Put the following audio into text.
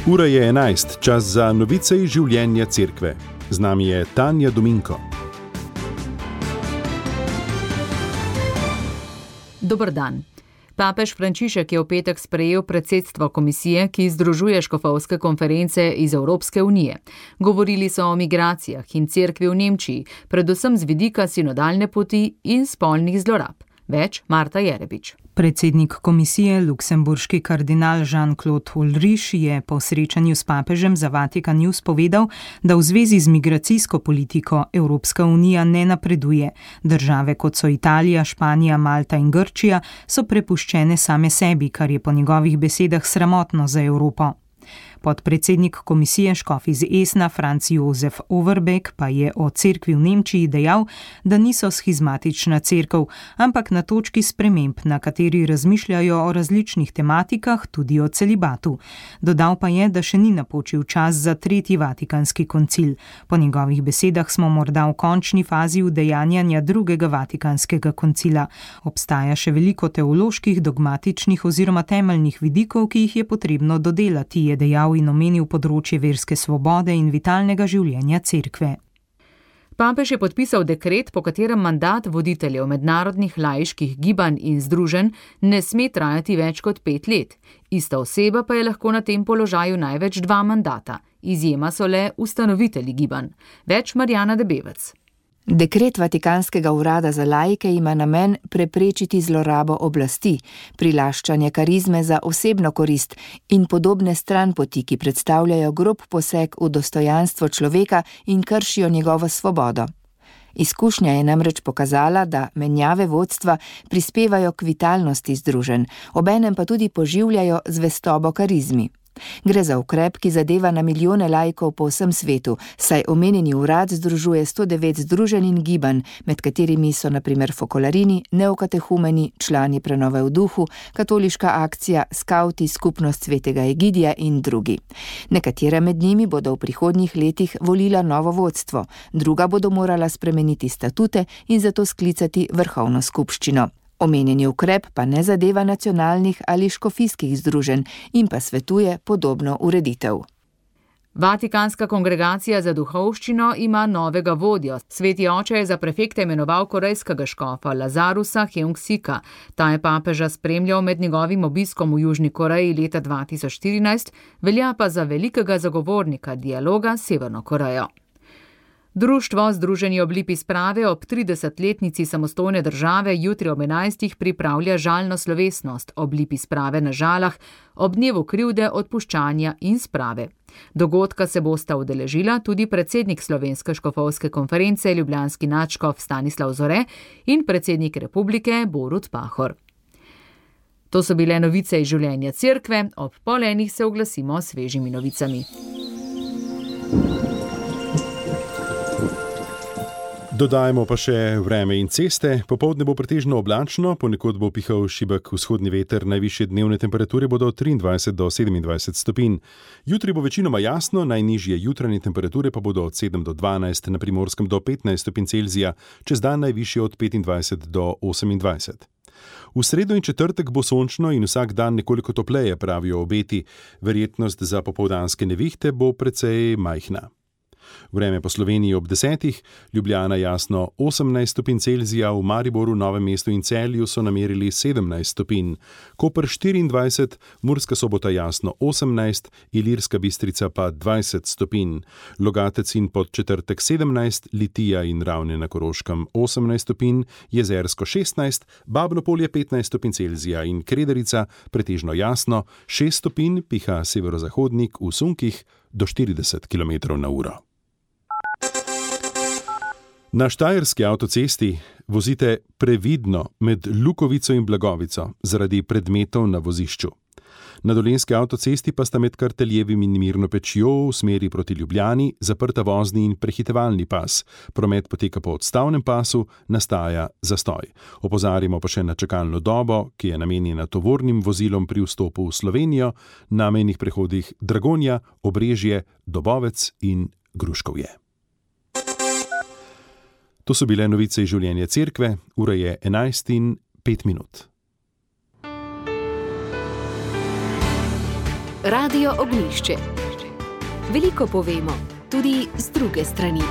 Ura je 11, čas za novice iz življenja cerkve. Z nami je Tanja Dominko. Dober dan. Papež Frančišek je v petek sprejel predsedstvo komisije, ki združuje škofovske konference iz Evropske unije. Govorili so o migracijah in cerkvi v Nemčiji, predvsem z vidika sinodalne poti in spolnih zlorab. Več Marta Jerebič. Predsednik komisije, luksemburški kardinal Jean-Claude Ulrich, je po srečanju s papežem za Vatikan News povedal, da v zvezi z migracijsko politiko Evropska unija ne napreduje. Države kot so Italija, Španija, Malta in Grčija so prepuščene same sebi, kar je po njegovih besedah sramotno za Evropo. Podpredsednik komisije škof iz Esna, Franz Josef Overbeck, pa je o cerkvi v Nemčiji dejal, da niso schizmatična cerkev, ampak na točki sprememb, na kateri razmišljajo o različnih tematikah, tudi o celibatu. Dodal pa je, da še ni napočil čas za tretji vatikanski koncil. Po njegovih besedah smo morda v končni fazi udejanjanja drugega vatikanskega koncila. Obstaja še veliko teoloških, dogmatičnih oziroma temeljnih vidikov, ki jih je potrebno dodelati, je dejal in omenil področje verske svobode in vitalnega življenja cerkve. Papež je podpisal dekret, po katerem mandat voditeljev mednarodnih laiških gibanj in združenj ne sme trajati več kot 5 let. Ista oseba pa je lahko na tem položaju največ 2 mandata. Izjema so le ustanovitelji gibanj. Več Marjana Debevec. Dekret Vatikanskega urada za laike ima namen preprečiti zlorabo oblasti, prilaščanje karizme za osebno korist in podobne stranpoti, ki predstavljajo grob poseg v dostojanstvo človeka in kršijo njegovo svobodo. Izkušnja je namreč pokazala, da menjave vodstva prispevajo k vitalnosti združenj, obenem pa tudi poživljajo zvestobo karizmi. Gre za ukrep, ki zadeva na milijone laikov po vsem svetu, saj omenjeni urad združuje 109 združenj in gibanj, med katerimi so na primer Fokolarini, Neokatehumeni, člani Prenove v duhu, Katoliška akcija, Skauti, Skupnost svetega Egidija in drugi. Nekatera med njimi bodo v prihodnjih letih volila novo vodstvo, druga bodo morala spremeniti statute in zato sklicati vrhovno skupščino. Omenjeni ukrep pa ne zadeva nacionalnih ali škofijskih združenj in pa svetuje podobno ureditev. Vatikanska kongregacija za duhovščino ima novega vodjo. Sveti oče je za prefekta imenoval korejskega škofa Lazarusa Heung-sika. Ta je papeža spremljal med njegovim obiskom v Južni Koreji leta 2014, velja pa za velikega zagovornika dialoga s Severno Korejo. Društvo Združeni ob lipi sprave ob 30-letnici samostojne države jutri ob 11. pripravlja žalno slovesnost ob lipi sprave na Žalah, ob dnevu krivde, odpuščanja in sprave. Dogodka se bosta udeležila tudi predsednik Slovenske škofovske konference, ljubljanski nadškof Stanislav Zore in predsednik republike Borut Pahor. To so bile novice iz življenja cerkve, ob 12:30 se oglasimo s svežimi novicami. Dodajmo pa še vreme in ceste. Popoldne bo pretežno oblačno, ponekod bo pihal šibek vzhodni veter, najvišje dnevne temperature bodo od 23 do 27 stopinj. Jutri bo večinoma jasno, najnižje jutranje temperature pa bodo od 7 do 12, na Primorskem do 15 stopinj Celzija, čez dan najvišje od 25 do 28. V sredo in četrtek bo sončno in vsak dan nekoliko topleje, pravijo obeti. Verjetnost za popoldanske nevihte bo precej majhna. Vreme po Sloveniji ob 10, Ljubljana jasno 18 stopinj Celzija, v Mariboru, Novem mestu in Celju so namerili 17 stopinj, Koper 24, Murska Sobota jasno 18, Ilirska Bistrica pa 20 stopinj, Logatec in Podčetrtek 17, Litija in Ravne na Koroškem 18 stopinj, Jezersko 16, Babno Polje 15 stopinj Celzija in Krederica pretežno jasno 6 stopinj, piha severozahodnik v sunkih do 40 km/h. Na štajerski avtocesti vozite previdno med Lukovico in Blagovico zaradi predmetov na vozišču. Na dolenjski avtocesti pa sta med Karteljevim in Mirno Pečjo v smeri proti Ljubljani zaprta vozni in prehitevalni pas. Promet poteka po odstavnem pasu, nastaja zastoj. Opozarjamo pa še na čakalno dobo, ki je namenjena tovornim vozilom pri vstopu v Slovenijo na mejnih prehodih Dragonja, Obrežje, Dobovec in Gruškovje. To so bile novice iz življenja cerkve, ura je 11:05. Radio Ognjišče. Veliko povemo, tudi z druge strani.